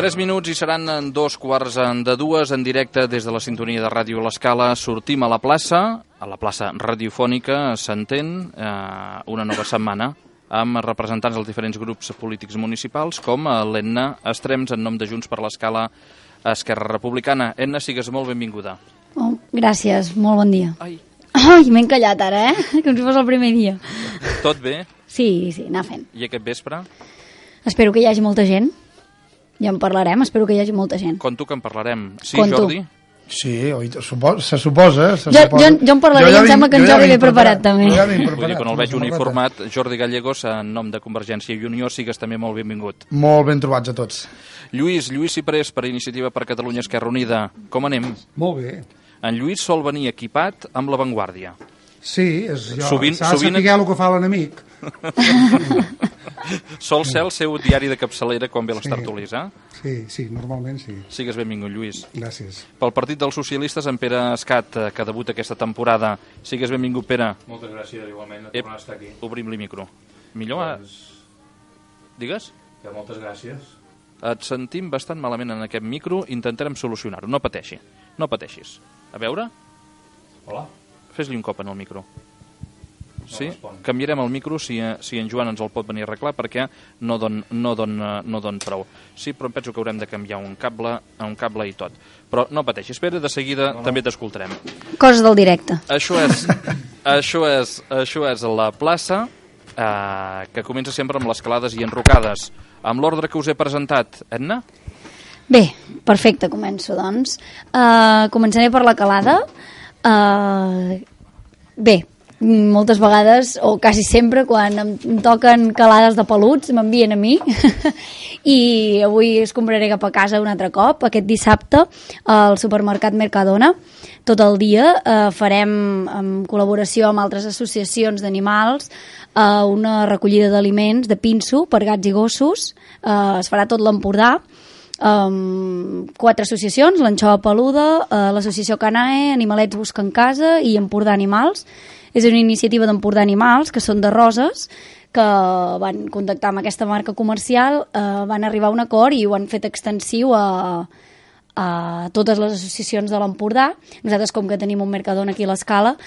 Tres minuts i seran 2:15 en directe des de la sintonia de Ràdio L'Escala. Sortim a la plaça radiofònica, s'entén, una nova setmana, amb representants dels diferents grups polítics municipals, com l'Enna Estrems, en nom de Junts per l'Escala Esquerra Republicana. Enna, sigues molt benvinguda. Oh, gràcies, molt bon dia. Ai, m'he encallat ara, com si fos el primer dia. Tot bé? Sí, anar fent. I aquest vespre? Espero que hi hagi molta gent. Ja en parlarem, espero que hi hagi molta gent. Conto que en parlarem. Sí, Conto. Jordi? Sí, se suposa. Jo en parlaré i em sembla que en Jordi ve preparat també. Vull dir, quan el veig uniformat, Jordi Gallegos, en nom de Convergència i Unió, sigues també molt benvingut. Molt ben trobats a tots. Lluís Ciprés, per Iniciativa per Catalunya Esquerra Unida. Com anem? Molt bé. En Lluís sol venir equipat amb La Vanguardia. Sí, s'ha de sovint... saber el que fa l'enemic. Sol ser el seu diari de capçalera quan ve les tertúlies, eh? Sí, normalment sí. Sigues benvingut, Lluís. Gràcies. Pel Partit dels Socialistes, en Pere Escat, que debuta aquesta temporada. Sigues benvingut, Pere. Moltes gràcies, igualment, de tornar a estar aquí. Obrim-li micro. Millor? Digues? Que moltes gràcies. Et sentim bastant malament en aquest micro, intentarem solucionar-ho. No pateixi, no pateixis. A veure? Hola. Fes-li un cop en el micro. Sí? Respon. Canviarem el micro si en Joan ens el pot venir a arreglar, perquè no don prou. Sí, però em penso que haurem de canviar un cable i tot. Però no pateixi, espera, de seguida també t'escoltarem. Coses del directe. Això és la plaça, que comença sempre amb les calades i enrocades. Amb l'ordre que us he presentat, Edna? Bé, perfecte, començo, doncs. Començaré per la calada. Bé, moltes vegades, o quasi sempre, quan em toquen calades de peluts, m'envien a mi. I avui escombraré cap a casa un altre cop, aquest dissabte, al supermercat Mercadona. Tot el dia farem, en col·laboració amb altres associacions d'animals, una recollida d'aliments de pinso per gats i gossos. Es farà tot l'Empordà. 4 associacions, l'Anxova Peluda, l'associació Canae, Animalets Busquen Casa i Empordà Animals. És una iniciativa d'Empordà Animals, que són de Roses, que van contactar amb aquesta marca comercial, van arribar a un acord i ho han fet extensiu a totes les associacions de l'Empordà. Nosaltres, com que tenim un Mercadona aquí a l'Escala,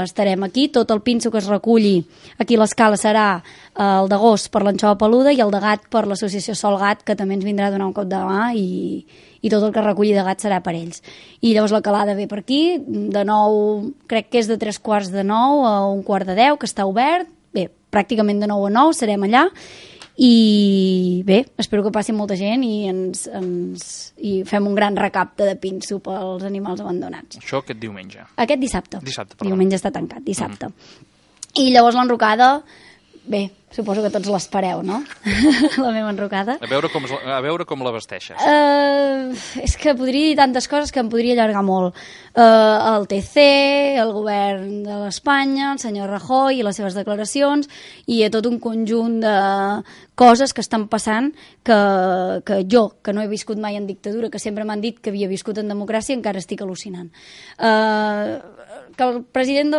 estarem aquí. Tot el pinso que es reculli aquí a l'Escala serà el de gos per l'Anxova Peluda i el de gat per l'associació Sol Gat, que també ens vindrà a donar un cop de mà, i tot el que reculli de gat serà per ells. I llavors la calada ve per aquí, de 9, crec que és de 3:45 a 1:45, que està obert. Bé, pràcticament de 9 a 9 serem allà. I bé, espero que passi molta gent i fem un gran recapte de pinso pels animals abandonats. Això aquest diumenge? Aquest dissabte. Perdó. Diumenge està tancat, dissabte. I llavors l'enrocada, bé, suposo que tots l'espereu, no? La meva enrocada. A veure com la vesteixes. És que podria dir tantes coses que em podria allargar molt. El TC, el govern de l'Espanya, el senyor Rajoy i les seves declaracions, i tot un conjunt de coses que estan passant que jo, que no he viscut mai en dictadura, que sempre m'han dit que havia viscut en democràcia, encara estic al·lucinant. Que el president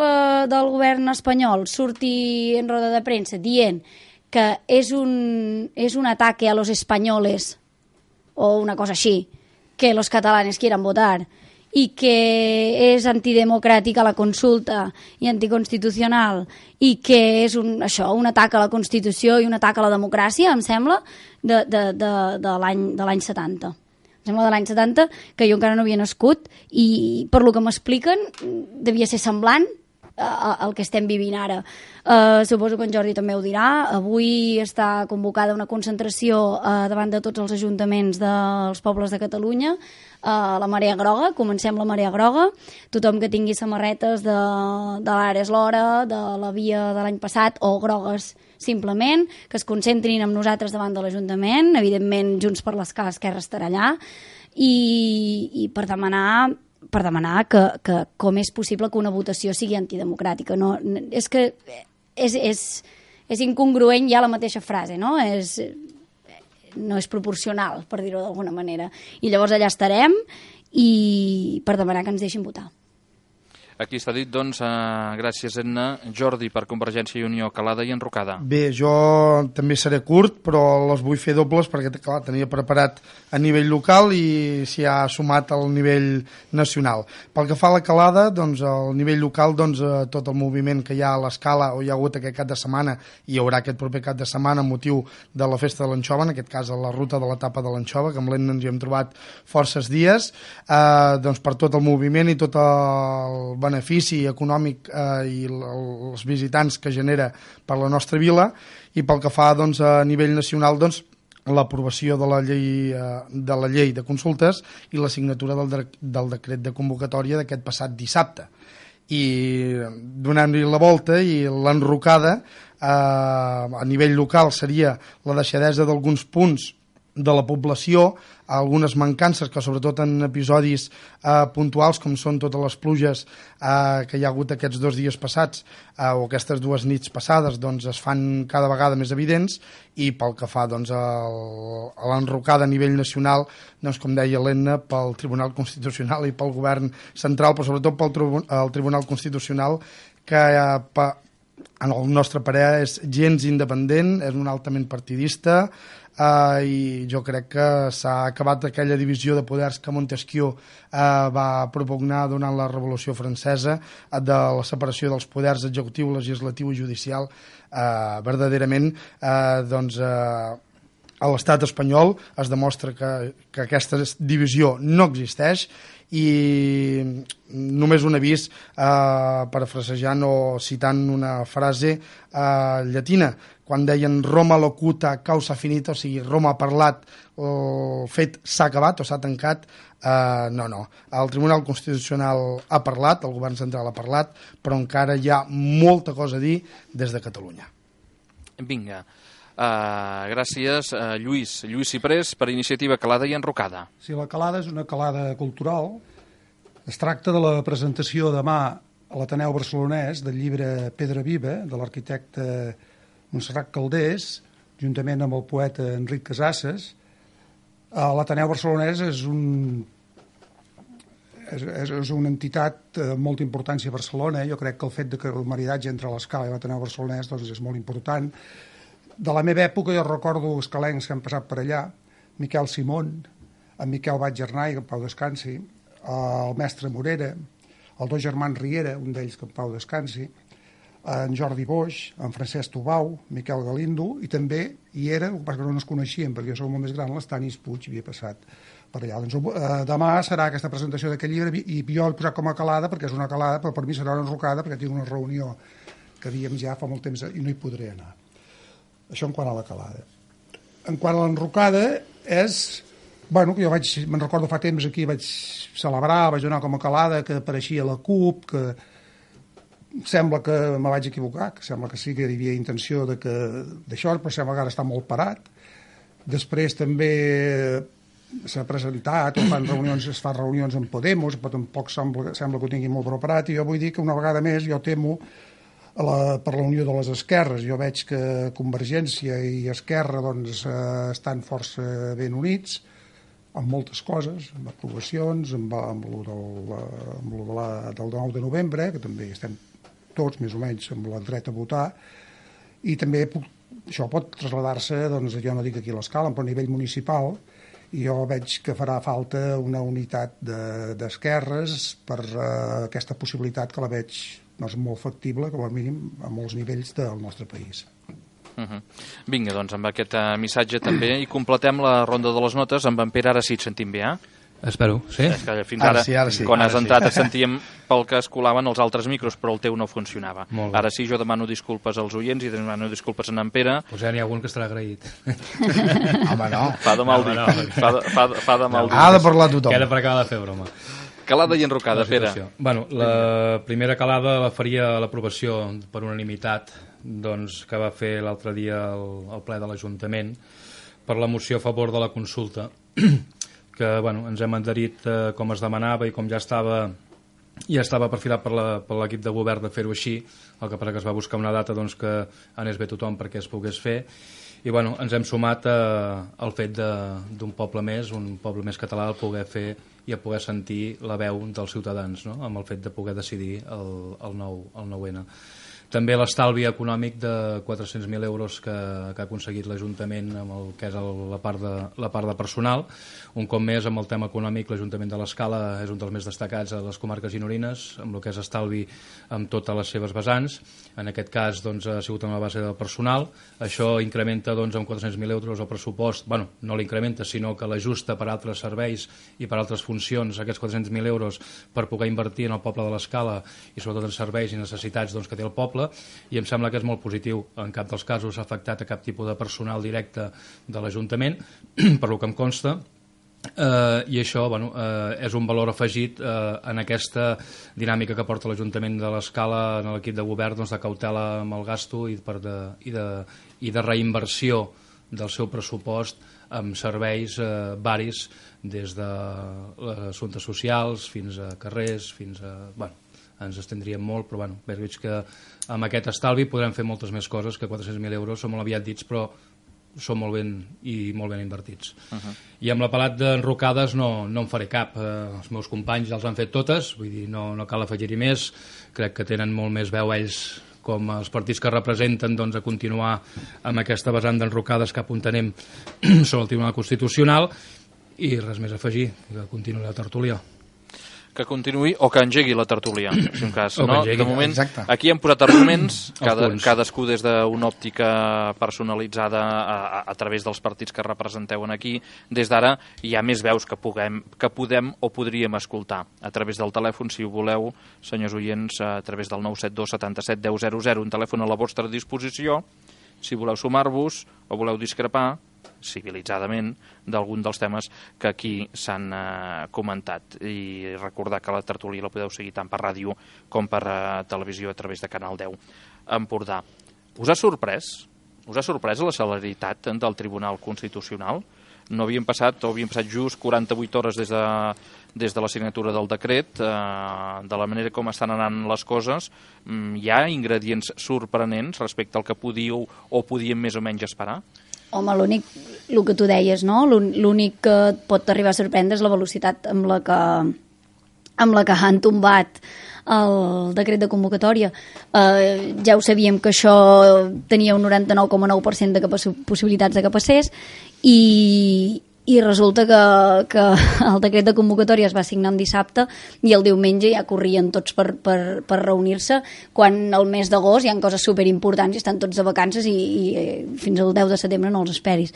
del govern espanyol surti en roda de premsa dient que és un ataque a los españoles, o una cosa així, que los catalanes quieran votar, i que és antidemocràtica la consulta i anticonstitucional, i que és un atac a la Constitució i un atac a la democràcia, em sembla, de l'any 70. Em sembla de l'any 70, que jo encara no havia nascut, i per lo que m'expliquen devia ser semblant, el que estem vivint ara. Suposo que en Jordi també ho dirà. Avui està convocada una concentració davant de tots els ajuntaments dels pobles de Catalunya, la Marea Groga, comencem la Marea Groga, tothom que tingui samarretes de l'Ara és l'hora, de la via de l'any passat o grogues simplement, que es concentrin amb nosaltres davant de l'Ajuntament, evidentment Junts per l'Escala Esquerra estarà allà, i per demanar que com és possible que una votació sigui antidemocràtica. No, és que és incongruent ja la mateixa frase, no? No és proporcional, per dir-ho d'alguna manera. I llavors allà estarem i per demanar que ens deixin votar. Aquí està dit, doncs, gràcies, Edna. Jordi, per Convergència i Unió, Calada i Enrocada. Bé, jo també seré curt, però les vull fer dobles perquè, clar, tenia preparat a nivell local i s'hi ha sumat al nivell nacional. Pel que fa a la Calada, doncs, al nivell local, doncs, tot el moviment que hi ha a l'Escala, o hi ha hagut aquest cap de setmana, i hi haurà aquest proper cap de setmana amb motiu de la festa de l'Anxova, en aquest cas a la ruta de l'etapa de l'Anxova, que amb l'Edna ens hi hem trobat forces dies, doncs, per tot el moviment i tot el benefici econòmic i els visitants que genera per la nostra vila, i pel que fa, doncs, a nivell nacional, doncs, l'aprovació de la llei de consultes i la signatura del decret de convocatòria d'aquest passat dissabte. I donant-li la volta i l'enrocada a nivell local seria la deixadesa d'alguns punts de la població, algunes mancances que sobretot en episodis puntuals com són totes les pluges que hi ha hagut aquests 2 dies passats o aquestes 2 nits passades, doncs es fan cada vegada més evidents. I pel que fa, doncs, a l'enrocada a nivell nacional, doncs, com deia l'Edna, pel Tribunal Constitucional i pel Govern Central, però sobretot pel Tribunal Constitucional, que en el nostre parer és gens independent, és un altament partidista, i jo crec que s'ha acabat aquella divisió de poders que Montesquieu va propugnar durant la Revolució Francesa, de la separació dels poders executiu, legislatiu i judicial. Verdaderament, doncs, a l'estat espanyol es demostra que aquesta divisió no existeix. I només un avís, parafrasejant o citant una frase llatina, quan deien Roma locuta causa finita, o sigui, Roma ha parlat, el fet s'ha acabat o s'ha tancat. No. El Tribunal Constitucional ha parlat, el Govern Central ha parlat, però encara hi ha molta cosa a dir des de Catalunya. Vinga. Gràcies, Lluís Ciprés, per Iniciativa Calada i Enrocada. Sí, la Calada és una calada cultural. Es tracta de la presentació demà a l'Ateneu Barcelonès del llibre Pedra Viva, de l'arquitecte Montserrat Calders, juntament amb el poeta Enric Casasses. L'Ateneu Barcelonès és una entitat amb molta importància a Barcelona. Jo crec que el fet que el maridatge entre l'Escala i l'Ateneu Barcelonès, doncs, és molt important. De la meva època jo recordo escalencs que han passat per allà, Miquel Simón, en Miquel Batgernà, que en pau descansi, el mestre Morera, els 2 germans Riera, un d'ells que en pau descansi, en Jordi Boix, en Francesc Tubau, Miquel Galindo, i també hi era, el que passa que no ens coneixíem, perquè jo soc molt més gran, l'Estanis Puig havia passat per allà. Doncs, demà serà aquesta presentació d'aquest llibre, i jo l'he posat com a calada, perquè és una calada, però per mi serà una enrocada, perquè tinc una reunió que havíem ja fa molt temps i no hi podré anar. Això en quant a la calada. En quant a l'enrocada és... Bueno, que jo me'n recordo fa temps aquí, vaig celebrar, vaig donar com a calada que apareixia la CUP, que sembla que me vaig equivocar, que sembla que sí que hi havia intenció d'això, però sembla que ara està molt parat. Després també s'ha presentat, es fa reunions amb Podemos, però tampoc sembla que ho tingui molt preparat, i jo vull dir que una vegada més jo temo per la unió de les esquerres. Jo veig que Convergència i Esquerra doncs, estan força ben units en moltes coses, amb aprovacions, amb el del 9 de novembre, que també estem tots més o menys amb el dret a votar, i també això pot traslladar-se, doncs, jo no dic aquí a l'Escala, però a nivell municipal, i jo veig que farà falta una unitat d'esquerres per aquesta possibilitat que la veig molt factible, com a mínim, a molts nivells del nostre país. Vinga, doncs, amb aquest missatge també, i completem la ronda de les notes amb en Pere. Ara sí et sentim bé, Espero, sí? És que fins ara, Ara sí. quan has Ara sí. entrat, et sentíem pel que es colaven els altres micros, però el teu no funcionava. Molt bé. Ara sí, jo demano disculpes als oients i demano disculpes a en Pere. Pues ja n'hi ha algun que estarà agraït. Home, no. Fa de mal dir. Fa de mal dir. Ha de parlar tothom. Queda per acabar de fer broma. Calada i enrocada, La Pere. situació. Bueno, la primera calada la faria l'aprovació per unanimitat doncs, que va fer l'altre dia el ple de l'Ajuntament per la moció a favor de la consulta que bueno, ens hem adherit com es demanava i com ja estava perfilat per l'equip de govern de fer-ho així, el que passa que es va buscar una data doncs, que anés bé tothom perquè es pogués fer i bueno, ens hem sumat al fet d'un poble més català, el poder fer i a poder sentir la veu dels ciutadans, no? Amb el fet de poder decidir el 9N. També l'estalvi econòmic de 400.000 euros que ha aconseguit l'Ajuntament amb el que és la part de personal. Un cop més, amb el tema econòmic, l'Ajuntament de l'Escala és un dels més destacats a les comarques gironines, amb el que és estalvi amb totes les seves vessants. En aquest cas doncs, ha sigut amb la base del personal. Això incrementa doncs, amb 400.000 euros el pressupost. Bueno, no l'incrementa, sinó que l'ajusta per altres serveis i per altres funcions, aquests 400.000 euros, per poder invertir en el poble de l'Escala i sobretot en serveis i necessitats doncs, que té el poble. I em sembla que és molt positiu. En cap dels casos ha afectat a cap tipus de personal directe de l'Ajuntament, per lo que em consta, i això bueno, és un valor afegit en aquesta dinàmica que porta l'Ajuntament de l'Escala en l'equip de govern doncs, de cautela amb el gasto i de reinversió del seu pressupost amb serveis varis des de assumptes socials fins a carrers, fins a... Bueno, ens estendríem molt, però bueno, veig que amb aquest estalvi podrem fer moltes més coses, que 400.000 euros són molt aviat dits, però són molt ben invertits. I amb la pelat d'enrocades no en faré cap. Els meus companys ja els han fet totes, vull dir, no cal afegir-hi més. Crec que tenen molt més veu ells com els partits que representen doncs, a continuar amb aquesta vessant d'enrocades cap on anem sobre el Tribunal Constitucional i res més a afegir, que continuï la tertúlia. Que continuï o que engegui la tertúlia, si un cas. No? Engegui. De moment, Exacte. aquí hem posat arguments, punts. cadascú des d'una òptica personalitzada a través dels partits que representeu aquí. Des d'ara hi ha més veus que podem o podríem escoltar a través del telèfon, si ho voleu, senyors oients, a través del 972 77 10 00, un telèfon a la vostra disposició, si voleu sumar-vos o voleu discrepar civilitzadament d'algun dels temes que aquí s'han comentat, i recordar que la tertúlia la podeu seguir tant per ràdio com per televisió a través de Canal 10 Empordà. Us ha sorprès la celeritat del Tribunal Constitucional? No havien passat just 48 hores des de la signatura del decret. De la manera com estan anant les coses, hi ha ingredients sorprenents respecte al que podíeu o podíem més o menys esperar? Home, el que tu deies, no? L'únic que et pot arribar a sorprendre és la velocitat amb la que han tombat el decret de convocatòria. Ja ho sabíem que això tenia un 99,9% de possibilitats de que passés i resulta que el decret de convocatòria es va signar un dissabte i el diumenge ja corrien tots per reunir-se, quan al mes d'agost hi ha coses superimportants i estan tots de vacances i fins al 10 de setembre no els esperis.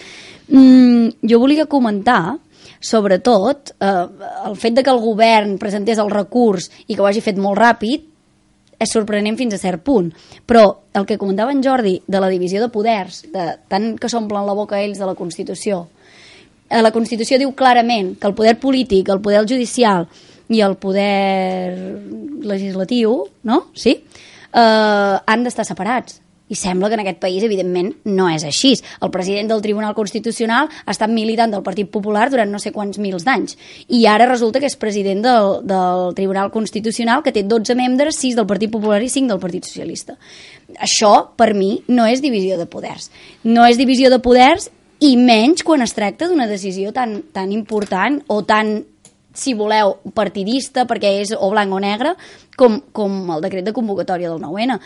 Jo volia comentar sobretot el fet de que el govern presentés el recurs i que ho hagi fet molt ràpid és sorprenent fins a cert punt, però el que comentava en Jordi de la divisió de poders, tant que s'omplen la boca ells de la Constitució, la Constitució diu clarament que el poder polític, el poder judicial i el poder legislatiu, no? Sí? Han d'estar separats. I sembla que en aquest país, evidentment, no és així. El president del Tribunal Constitucional ha estat militant del Partit Popular durant no sé quants mils d'anys. I ara resulta que és president del Tribunal Constitucional, que té 12 membres, 6 del Partit Popular i 5 del Partit Socialista. Això, per mi, no és divisió de poders. No és divisió de poders, i menys quan es tracta d'una decisió tan important o tan, si voleu, partidista, perquè és o blanc o negre, com el decret de convocatòria del 9N.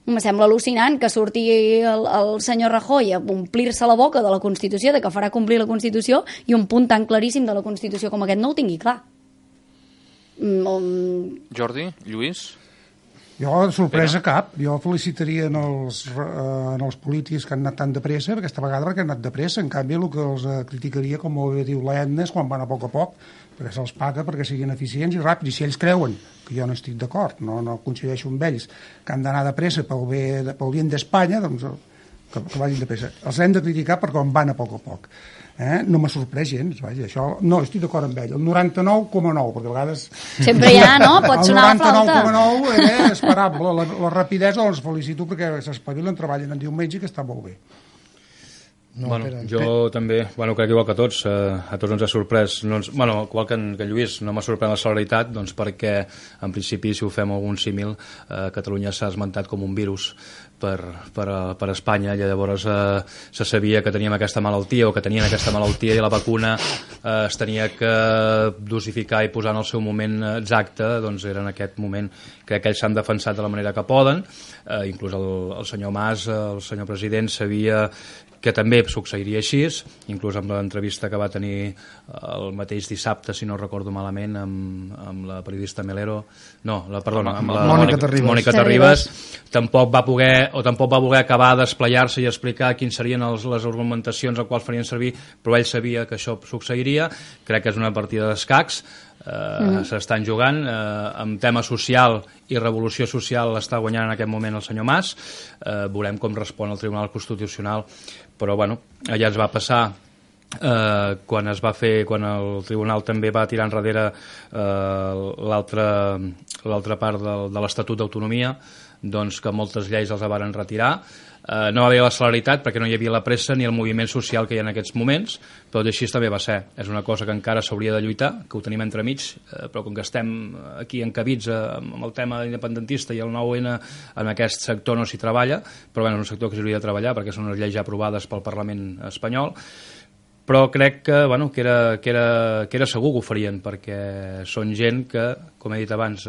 Em sembla al·lucinant que surti el senyor Rajoy a omplir-se la boca de la Constitució, de que farà complir la Constitució, i un punt tan claríssim de la Constitució com aquest no ho tingui clar. Jordi, Lluís? Jo, de sorpresa cap. Jo felicitaria en els polítics que han anat tan de pressa, aquesta vegada perquè han anat de pressa. En canvi, el que els criticaria, com ho diu l'Edna, és quan van a poc, perquè se'ls paga perquè siguin eficients i ràpids. I si ells creuen, que jo no estic d'acord, no coincideixo amb ells, que han d'anar de pressa pel bien d'Espanya, doncs que vagin de pressa. Els hem de criticar perquè van a poc. No m'ha sorprès gens, vaja, això no, estic d'acord amb ell, el 99,9, perquè a vegades... Sempre hi ha, no? Pot sonar la flauta. El 99,9 era esperable, la rapidesa els felicito perquè s'espavilen, treballen en diumenge, que està molt bé. No, jo també, crec que igual que a tots ens ha sorprès, igual que en Lluís, no m'ha sorprès la celeritat, doncs perquè en principi, si ho fem algun símil, Catalunya s'ha esmentat com un virus per Espanya, i llavors se sabia que teníem aquesta malaltia o que tenien aquesta malaltia, i la vacuna es tenia que dosificar i posar en el seu moment exacte. Doncs era en aquest moment. Crec que ells s'han defensat de la manera que poden, inclús el senyor Mas, el senyor president, sabia que també succeiria així, inclús amb l'entrevista que va tenir el mateix dissabte, si no recordo malament, amb la periodista Melero, amb la Mònica Terribas, tampoc va voler acabar d'esplayar-se i explicar quins serien les argumentacions a quals farien servir, però ell sabia que això succeiria. Crec que és una partida d'escacs. S'estan jugant amb tema social i revolució social, l'està guanyant en aquest moment el senyor Mas. Veurem com respon el Tribunal Constitucional, però allà es va passar quan el Tribunal també va tirar enrere l'altra part de l'Estatut d'Autonomia, doncs que moltes lleis els varen retirar. No va haver la celeritat perquè no hi havia la pressa ni el moviment social que hi ha en aquests moments, però així també va ser. És una cosa que encara s'hauria de lluitar, que ho tenim entremig, però com que estem aquí encabits amb el tema independentista i el 9-N, en aquest sector no s'hi treballa, però és un sector que s'hauria de treballar perquè són unes lleis ja aprovades pel Parlament espanyol. Però crec que era segur que ho farien, perquè són gent que, com he dit abans,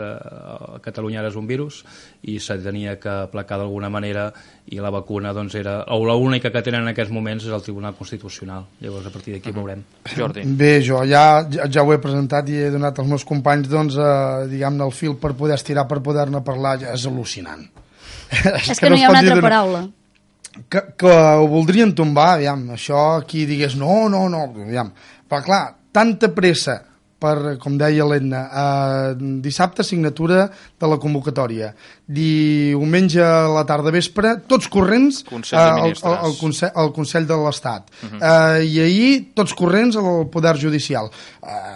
Catalunya ara és un virus i se tenia que aplacar d'alguna manera, i la vacuna era l'única que tenen en aquests moments és el Tribunal Constitucional. Llavors a partir d'aquí veurem. Jordi. Bé, jo ja ho he presentat i he donat als meus companys diguem-ne el fil per poder estirar, per poder-ne parlar. Ja és al·lucinant. És que no hi ha una altra paraula. Que ho voldrien tombar, aviam, això aquí digués no, aviam. Però clar, tanta pressa per, com deia l'Edna, dissabte signatura de la convocatòria, diumenge a la tarda vespre, tots corrents al Consell de l'Estat, i ahir tots corrents al Poder Judicial.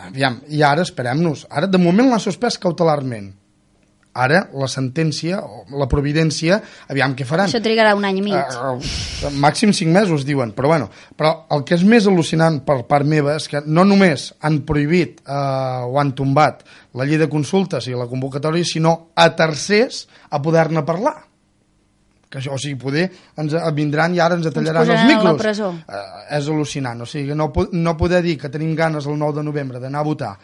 Aviam, i ara esperem-nos, ara de moment l'ha suspès cautelarment. Ara, la sentència, o la providència, aviam què faran. Això trigarà un any i mig. Màxim 5 mesos, diuen. Però el que és més al·lucinant per part meva és que no només han prohibit o han tombat la llei de consultes i la convocatòria, sinó a tercers a poder-ne parlar. Que això, o sigui, poder ens vindran i ara ens tallaran els micros. A la presó. És al·lucinant. O sigui, no poder dir que tenim ganes el 9 de novembre d'anar a votar.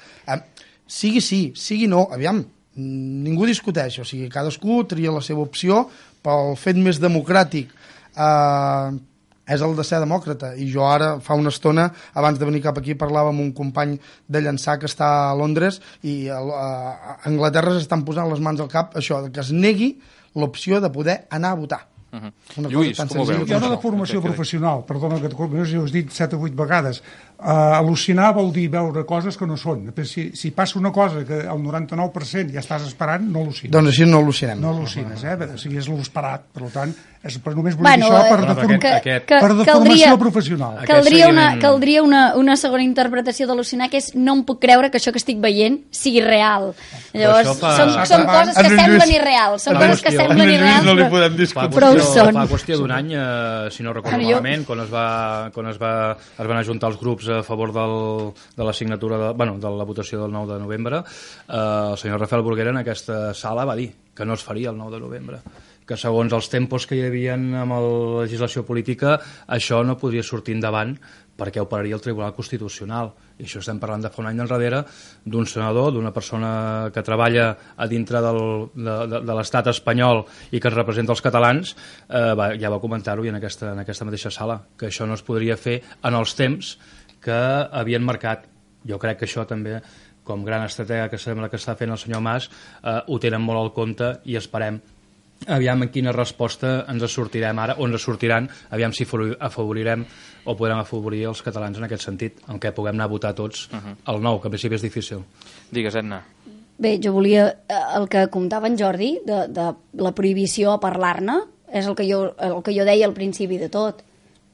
Sigui sí, sigui no, aviam, ningú discuteix, o sigui, cadascú tria la seva opció, pel fet més democràtic és el de ser demòcrata. I jo ara, fa una estona, abans de venir cap aquí, parlava amb un company de Llançà que està a Londres, i a Anglaterra s'estan posant les mans al cap això, que es negui l'opció de poder anar a votar. Lluís, com ho veus? Hi ha una formació professional, perdona que ho has dit 7 o 8 vegades. Al·lucinar vol dir veure coses que no són. Si passa una cosa que el 99% ja estàs esperant, no al·lucines. Doncs així no al·lucinem. No al·lucines, o sigui, és l'esperat. Per tant, només vull dir això per deformació professional. Caldria una segona interpretació d'al·lucinar, que és no em puc creure que això que estic veient sigui real. Llavors, són coses que semblen irreals. Són coses que semblen irreals, no li podem discutir. Però ho són. Fa qüestió d'un any, si no recordo malament, quan es van ajuntar els grups a favor de la signatura de la votació del 9 de novembre, el senyor Rafael Bruguera en aquesta sala va dir que no es faria el 9 de novembre, que segons els tempos que hi havia amb la legislació política això no podria sortir endavant perquè ho pararia el Tribunal Constitucional. I això estem parlant de fa un any enrere d'un senador, d'una persona que treballa a dintre de l'estat espanyol i que es representa els catalans, ja va comentar-ho en aquesta mateixa sala, que això no es podria fer en els temps que havien marcat. Jo crec que això també, com gran estratega que sembla que està fent el senyor Mas, ho tenen molt al compte i esperem aviam en quina resposta ens sortirem ara, o ens sortiran, aviam si afavorirem o podrem afavorir els catalans en aquest sentit, en què puguem anar a votar tots el nou, que en principi és difícil. Digues, Edna. Bé, jo volia, el que comentava en Jordi, de la prohibició a parlar-ne, és el que jo deia al principi de tot.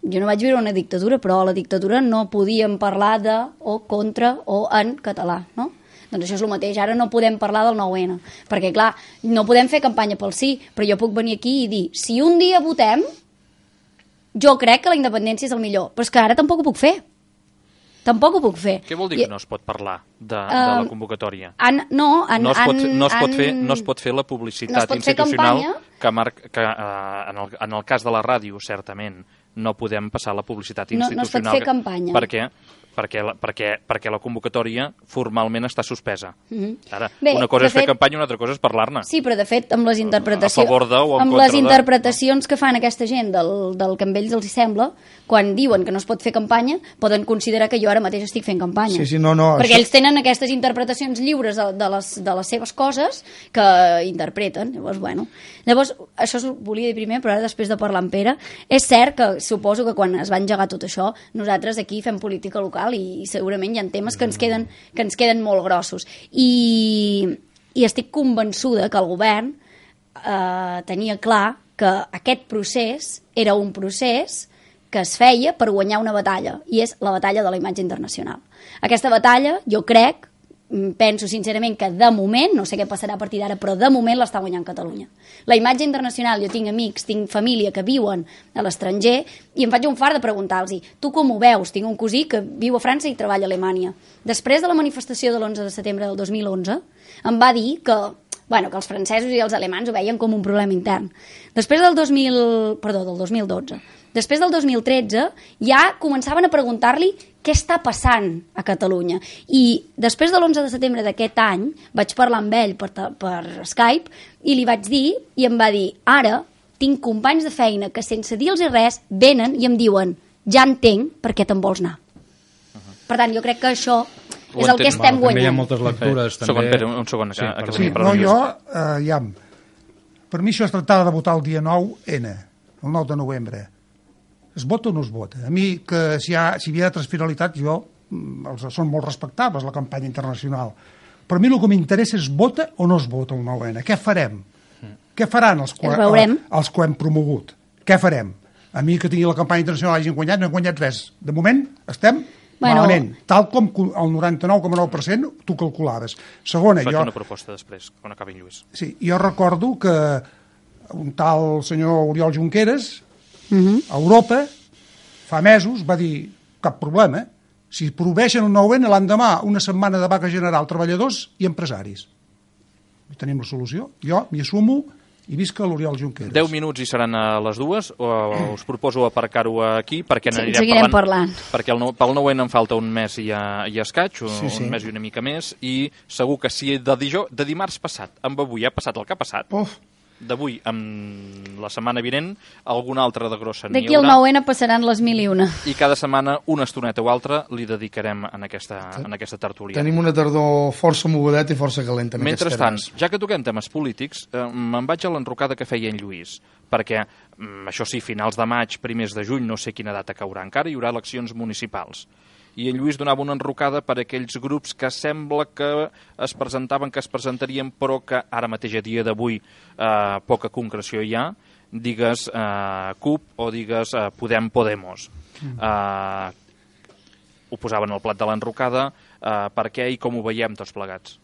Jo no vaig viure una dictadura, però a la dictadura no podíem parlar de, o contra, o en català, no? Doncs això és el mateix, ara no podem parlar del 9-N, perquè clar, no podem fer campanya pel sí, però jo puc venir aquí i dir, si un dia votem, jo crec que la independència és el millor, però és que ara tampoc ho puc fer. Tampoc ho puc fer. Què vol dir que no es pot parlar de la convocatòria? No es pot fer la publicitat institucional que en el cas de la ràdio, certament, no podem passar la publicitat institucional. No es pot fer campanya. Per què? Perquè la convocatòria formalment està suspesa. Ara, una cosa és fer campanya i una altra cosa és parlar-ne. Sí, però de fet, amb les interpretacions, a favor de o en amb contra les interpretacions que fan aquesta gent del que a ells els sembla, quan diuen que no es pot fer campanya, poden considerar que jo ara mateix estic fent campanya. Sí, no, perquè ells tenen aquestes interpretacions lliures de les seves coses que interpreten. Llavors, això ho volia dir primer, però ara després de parlar amb Pere, és cert que suposo que quan es va engegar tot això, nosaltres aquí fem política local i segurament hi ha temes que ens queden molt grossos. I estic convençuda que el govern tenia clar que aquest procés era un procés que es feia per guanyar una batalla, i és la batalla de la imatge internacional. Aquesta batalla, jo crec, penso sincerament que de moment, no sé què passarà a partir d'ara, però de moment l'està guanyant Catalunya. La imatge internacional, jo tinc amics, tinc família que viuen a l'estranger i em faig un fart de preguntar-los, tu com ho veus? Tinc un cosí que viu a França i treballa a Alemanya. Després de la manifestació de l'11 de setembre del 2011 em va dir que els francesos i els alemans ho veien com un problema intern. Després del 2012. Després del 2013 ja començaven a preguntar-li què està passant a Catalunya. I després de l'11 de setembre d'aquest any vaig parlar amb ell per Skype i li vaig dir, i em va dir, ara tinc companys de feina que sense dir-los res venen i em diuen, ja entenc per què te'n vols anar. Per tant, jo crec que això és el que estem guanyant. També hi ha moltes lectures. Un segon. Per mi això es tractava de votar el dia 9N, el 9 de novembre. Es vota o no es vota? A mi, que si hi havia altres finalitats, són molt respectables, la campanya internacional. Però a mi el que m'interessa és vota o no es vota el 9N. Què farem? Què faran els que ho hem promogut? Què farem? A mi que tingui la campanya internacional hagin guanyat, no hem guanyat res. De moment estem malament, tal com el 99,9% tu calculaves. Segona, faig una proposta després, quan acabi Lluís. Sí, jo recordo que un tal senyor Oriol Junqueras a Europa fa mesos va dir, cap problema, si prohibeixen un 9N l'endemà una setmana de vaga general treballadors i empresaris. Tenim la solució, jo m'hi assumo i visca l'Oriol Junqueras. 10 minuts i seran a les 2, us proposo aparcar-ho aquí perquè n'anirem parlant. Perquè pel 9N em falta un mes i escaig, un mes i una mica més, i segur que si de dimarts passat amb avui ha passat el que ha passat, d'avui amb la setmana vinent alguna altra de grossa n'hi haurà. D'aquí al 9N passaran les 1001. I cada setmana una estoneta o altra li dedicarem en aquesta tertúlia. Tenim una tardor força mogudeta i força calenta. Mentrestant, ja que toquem temes polítics, me'n vaig a l'enrocada que feia en Lluís, perquè, això sí, finals de maig, primers de juny, no sé quina data caurà encara, hi haurà eleccions municipals. I en Lluís donava una enrocada per aquells grups que sembla que es presentarien, però que ara mateix a dia d'avui poca concreció hi ha, digues CUP o digues Podemos. Ho posaven al plat de l'enrocada, per què i com ho veiem tots plegats?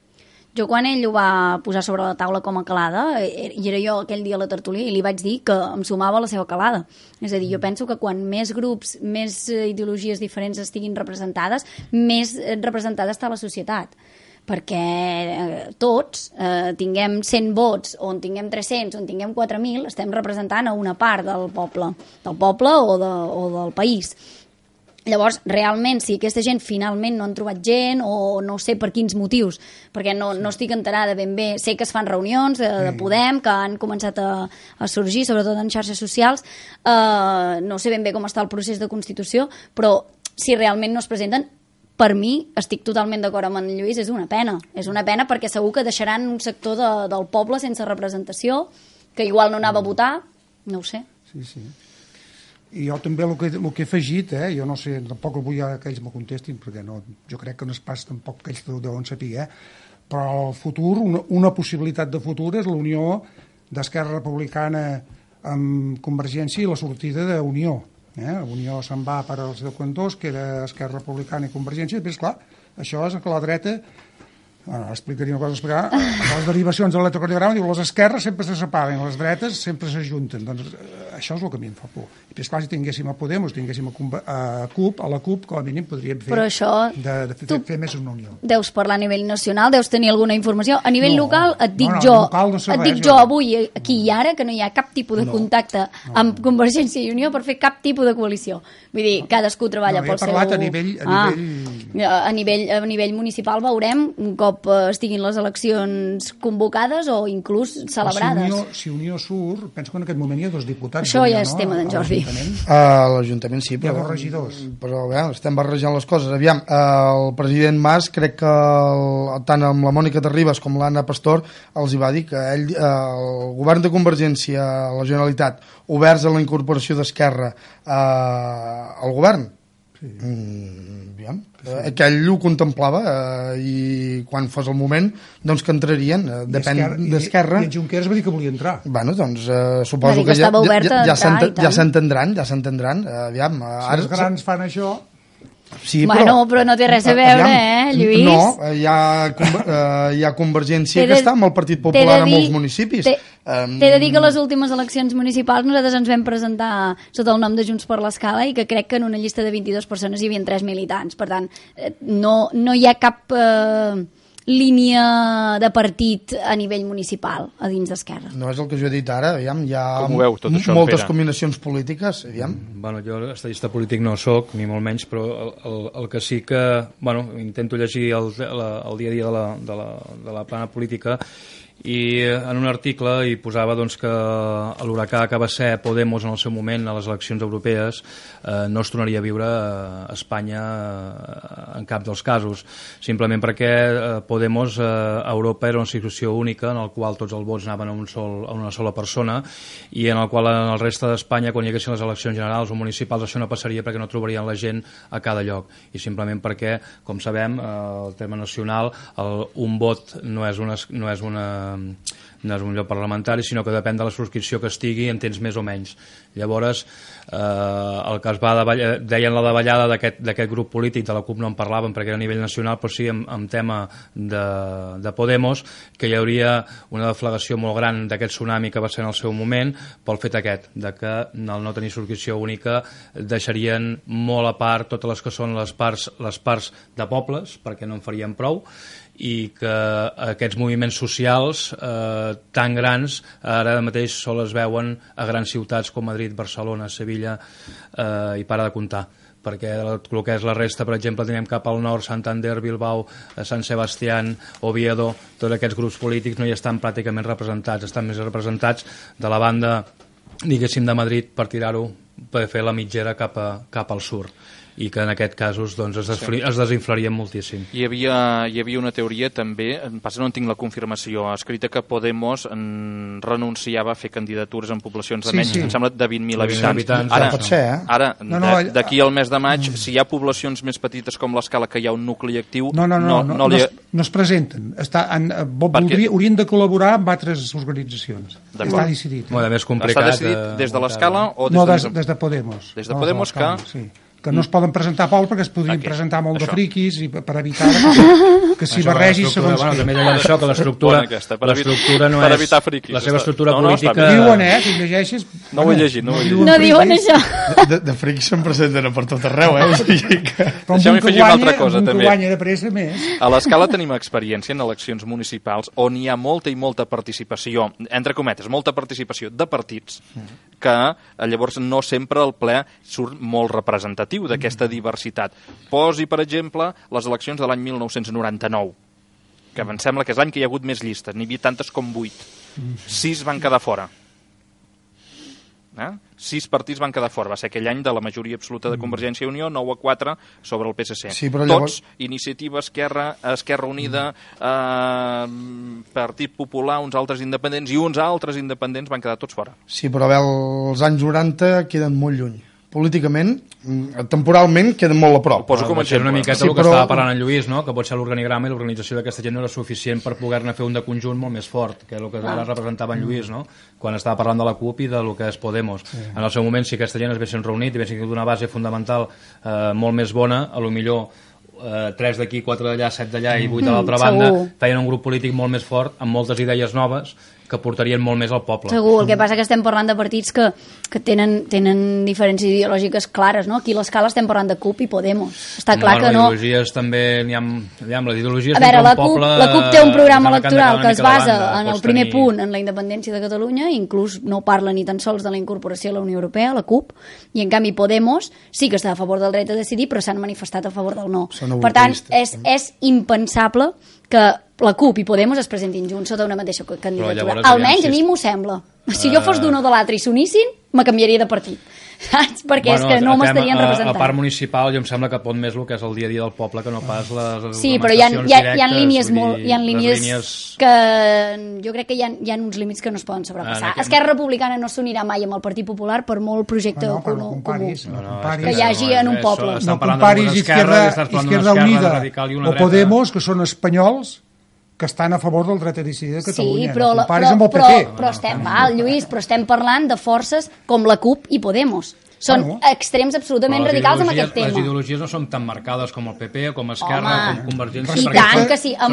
Jo quan ell ho va posar sobre la taula com a calada, i era jo aquell dia a la tertúlia, i li vaig dir que em sumava a la seva calada. És a dir, jo penso que quan més grups, més ideologies diferents estiguin representades, més representada està la societat. Perquè tots tinguem 100 vots, o en tinguem 300, o en tinguem 4.000, estem representant a una part del poble o del país. Llavors, realment, si aquesta gent finalment no han trobat gent, o no sé per quins motius, perquè no estic enterada ben bé, sé que es fan reunions de Podem, que han començat a sorgir, sobretot en xarxes socials, no sé ben bé com està el procés de constitució, però si realment no es presenten, per mi, estic totalment d'acord amb en Lluís, és una pena perquè segur que deixaran un sector del poble sense representació, que igual no anava a votar, no ho sé. Sí. I jo també el que he afegit, jo no sé, tampoc vull que ells me contestin, perquè no, jo crec que no és pas tampoc que ells ho deuen saber, però el futur, una possibilitat de futur és l'unió d'Esquerra Republicana amb Convergència i la sortida d'Unió. Unió se'n va per als 10-2, que era Esquerra Republicana i Convergència, i després, clar, això és que la dreta, explicaria una cosa, les derivacions de l'electrocardiograma, diu, les esquerres sempre se separen, les dretes sempre s'ajunten. Doncs això és el que a mi em fa por. I després, clar, si tinguéssim a Podemos, tinguéssim a CUP, com a mínim podríem fer, fer més una unió. Deus parlar a nivell nacional, deus tenir alguna informació. A nivell local, et dic jo avui, aquí i ara, que no hi ha cap tipus de contacte amb Convergència i Unió per fer cap tipus de coalició. Vull dir, cadascú treballa pel seu... A nivell municipal veurem un cop estiguin les eleccions convocades o inclús celebrades. Si Unió surt, penso que en aquest moment hi ha 2 diputats. Això ja és tema d'en Jordi. A l'Ajuntament sí, però... Hi ha 2 regidors. Però estem barrejant les coses. Aviam, el president Mas, crec que tant amb la Mònica Terribas com l'Anna Pastor els hi va dir que el govern de Convergència, la Generalitat, oberts a la incorporació d'Esquerra al govern, que ell ho contemplava i quan fos el moment doncs que entrarien, depèn d'Esquerra. I en Junqueras va dir que volia entrar. Bueno, doncs suposo que ja s'entendran. Aviam, si els grans fan això... Sí, però no té res a veure, Lluís? No, hi ha Convergència que està amb el Partit Popular a molts municipis. T'he de dir que a les últimes eleccions municipals nosaltres ens vam presentar sota el nom de Junts per l'Escala i que crec que en una llista de 22 persones hi havia 3 militants. Per tant, no hi ha cap línia de partit a nivell municipal a dins d'Esquerra. No és el que jo he dit ara, aviam, hi ha moltes combinacions polítiques, aviam. Bueno, jo estadista polític no sóc, ni molt menys, però el que sí que, intento llegir el dia a dia de la plana política, i en un article hi posava que l'huracà que va ser Podemos en el seu moment a les eleccions europees no es tornaria a viure a Espanya en cap dels casos, simplement perquè Podemos a Europa era una situació única en la qual tots els vots anaven a una sola persona i en el qual en el reste d'Espanya quan hi haguessin les eleccions generals o municipals això no passaria perquè no trobarien la gent a cada lloc i simplement perquè, com sabem, el terme nacional, un vot no és un lloc parlamentari, sinó que depèn de la subscripció que estigui en temps més o menys. Llavors, el que es va deien la davallada d'aquest grup polític, de la CUP no en parlàvem perquè era a nivell nacional, però sí en tema de Podemos, que hi hauria una deflagració molt gran d'aquest tsunami que va ser en el seu moment, pel fet aquest, de que al no tenir subscripció única deixarien molt a part totes les que són les parts de pobles, perquè no en farien prou, i que aquests moviments socials tan grans ara mateix sols es veuen a grans ciutats com Madrid, Barcelona, Sevilla i para de comptar perquè el que és la resta, per exemple, tenim cap al nord Santander, Bilbao, Sant Sebastián, Oviedo, tots aquests grups polítics no hi estan pràcticament representats, estan més representats de la banda, diguéssim, de Madrid per tirar-ho, per fer la mitgera cap al sud i que en aquest casos doncs, es desinflarien moltíssim. Hi havia una teoria també, passa no en tinc la confirmació, escrita que Podemos renunciava a fer candidatures en poblacions de menys, em sembla, de 20.000 habitants. Ara, d'aquí al mes de maig, si hi ha poblacions més petites com l'Escala, que hi ha un nucli actiu... No es presenten. Haurien de col·laborar amb altres organitzacions. Està decidit. Més complicat. Està decidit des de l'Escala o des de Podemos. Des de Podemos que no es poden presentar pols perquè es podrien presentar molt de friquis i per evitar que s'hi barregi segons qui. També deia això, que l'estructura no és... Per evitar friquis. La seva estructura política... Diuen, tu llegeixes... No ho he llegit, no ho he llegit. No diuen això. De friquis se'n presenten per tot arreu, Però un que guanya de pressa més. A l'Escala tenim experiència en eleccions municipals on hi ha molta i molta participació, entre cometes, molta participació de partits que llavors no sempre el ple surt molt representatiu d'aquesta diversitat. Posi, per exemple, les eleccions de l'any 1999, que em sembla que és l'any que hi ha hagut més llistes, n'hi havia tantes com 8. 6 van quedar fora. 6 partits van quedar fora. Va ser aquell any de la majoria absoluta de Convergència i Unió, 9-4 sobre el PSC. Sí, però llavors... Tots, Iniciativa, Esquerra Unida, Partit Popular, uns altres independents i uns altres independents van quedar tots fora. Sí, però els anys 90 queden molt lluny. Políticament, temporalment, queden molt a prop. Ho poso com a exemple. Una miqueta el que estava parlant en Lluís, no? Que potser l'organigrama i l'organització d'aquesta gent no era suficient per poder-ne fer un de conjunt molt més fort, que és el que ara representava en Lluís, no? Quan estava parlant de la CUP i del que és Podemos. En el seu moment, si aquesta gent es haguessin reunit i haguessin tingut una base fundamental molt més bona, a lo millor 3 d'aquí, 4 d'allà, 7 d'allà i 8 de l'altra banda, feien un grup polític molt més fort, amb moltes idees noves, que portarien molt més al poble. Segur, el que passa que estem parlant de partits que tenen diferències ideològiques clares, no? Aquí a l'escala estem parlant de CUP i Podemos. Està clar que no... Les ideologies també n'hi ha... Les ideologies a veure, la CUP té un programa electoral que es basa en el primer punt, en la independència de Catalunya, i inclús no parla ni tan sols de la incorporació a la Unió Europea, la CUP, i en canvi Podemos sí que està a favor del dret a decidir, però s'han manifestat a favor del no. Per tant, és impensable que la CUP i Podemos es presentin junts sota una mateixa candidatura. Almenys a mi m'ho sembla. Si jo fos d'un o de l'altre i s'unissin, me canviaria de partit. Saps? Perquè és que no m'estarien representant. A part municipal, jo em sembla que pot més el que és el dia a dia del poble que no pas les sí, però hi ha línies que jo crec que hi ha uns límits que no es poden sobrepassar. Esquerra Republicana no s'unirà mai amb el Partit Popular per molt projecte comú que hi hagi en un poble. No comparis Izquierda Unida o Podemos, que són espanyols que estan a favor del dret a decidir de Catalunya. Sí, però Lluís, estem parlant de forces com la CUP i Podemos. Són extrems absolutament radicals en aquest tema. Les ideologies no són tan marcades com el PP, com Esquerra, com Convergència. I tant que sí, amb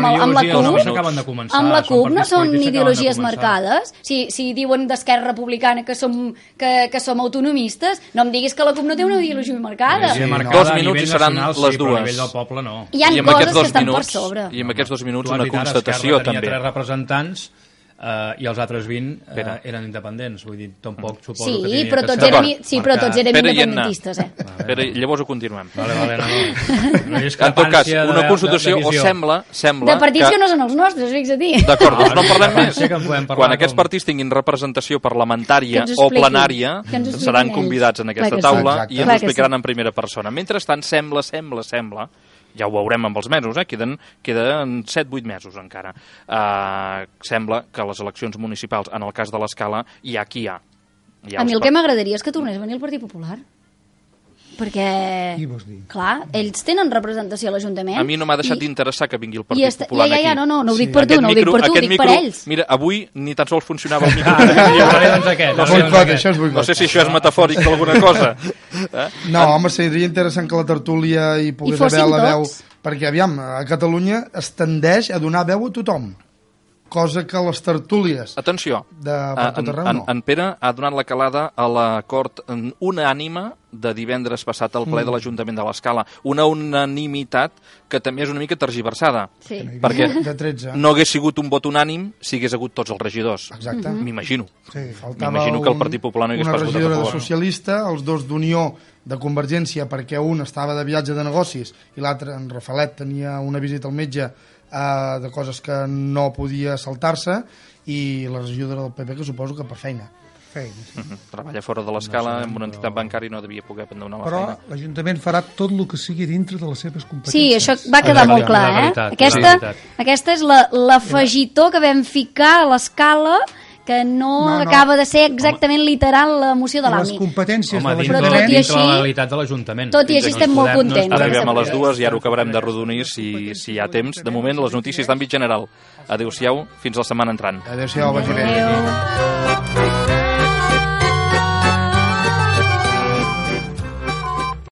la CUP no són ideologies marcades. Si diuen d'Esquerra Republicana que som autonomistes, no em diguis que la CUP no té una ideologia marcada. 2 minuts i seran les 2. Hi ha coses que estan per sobre. I en aquests 2 minuts una constatació també. Tenia 3 representants i els altres 20 eren independents, vull dir, tampoc suposo que sí, però tots érem independentistes, Però llavors ho continuem. Vale, no. En tot cas, una constitució o sembla de partits que no són els nostres, fixa't. D'acord, doncs no parlem més. Quan aquests partits tinguin representació parlamentària o plenària, seran convidats en aquesta taula i ens ho explicaran en primera persona. Mentrestant, sembla, ja ho veurem amb els mesos, queden 7-8 mesos encara. Sembla que les eleccions municipals, en el cas de l'Escala, hi ha qui hi ha. A mi el que m'agradaria és que tornés a venir el Partit Popular. Perquè, clar, ells tenen representació a l'Ajuntament. A mi no m'ha deixat d'interessar que vingui el Partit Popular aquí. No ho dic per tu, no ho dic per tu, ho dic per ells. Mira, avui ni tan sols funcionava el micro. No sé si això és metafòric d'alguna cosa. No, home, seria interessant que la tertúlia hi pogués haver la veu, perquè, aviam, a Catalunya es tendeix a donar veu a tothom, cosa que les tertúlies atenció, en Pere ha donat la calada a l'acord unànime de divendres passat al ple de l'Ajuntament de l'Escala, una unanimitat que també és una mica tergiversada, perquè no hagués sigut un vot unànim si hagués hagut tots els regidors. Exacte. M'imagino. Faltava que el Partit Popular no hagués pas votat a favor. Una regidora de socialista, els dos d'Unió de Convergència, perquè un estava de viatge de negocis i l'altre, en Rafalet, tenia una visita al metge de coses que no podia saltar-se, i la regidora del PP, que suposo que per feina. Treballa fora de l'Escala, amb una entitat bancària, no devia poder donar la feina. Però l'Ajuntament farà tot el que sigui dintre de les seves competències. Sí, això va quedar molt clar, Aquesta és l'afegitó que vam ficar a l'Escala, que no acaba de ser exactament literal la moció de l'AMI. Les competències de l'Ajuntament dintre la legalitat de l'Ajuntament. Tot i així estem molt contents. Arribem a les 2 i ara ho acabarem de rodonir si hi ha temps. De moment, les notícies d'àmbit general. Adéu-siau, fins la setmana entrant. Adéu-siau, vagi bé.